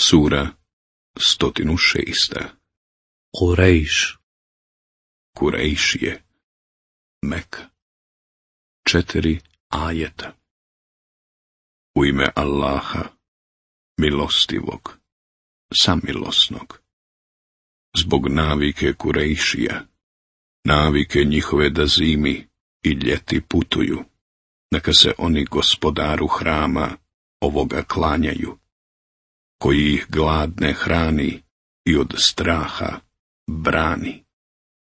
Sura 106. Kurejš. Kurejšije. Meka. 4 ajeta. U ime Allaha, milostivog, samilosnog. Zbog navike Kurejšija, navike njihove da zimi i ljeti putuju, neka se oni gospodaru hrama ovoga klanjaju, koji ih gladne hrani i od straha brani.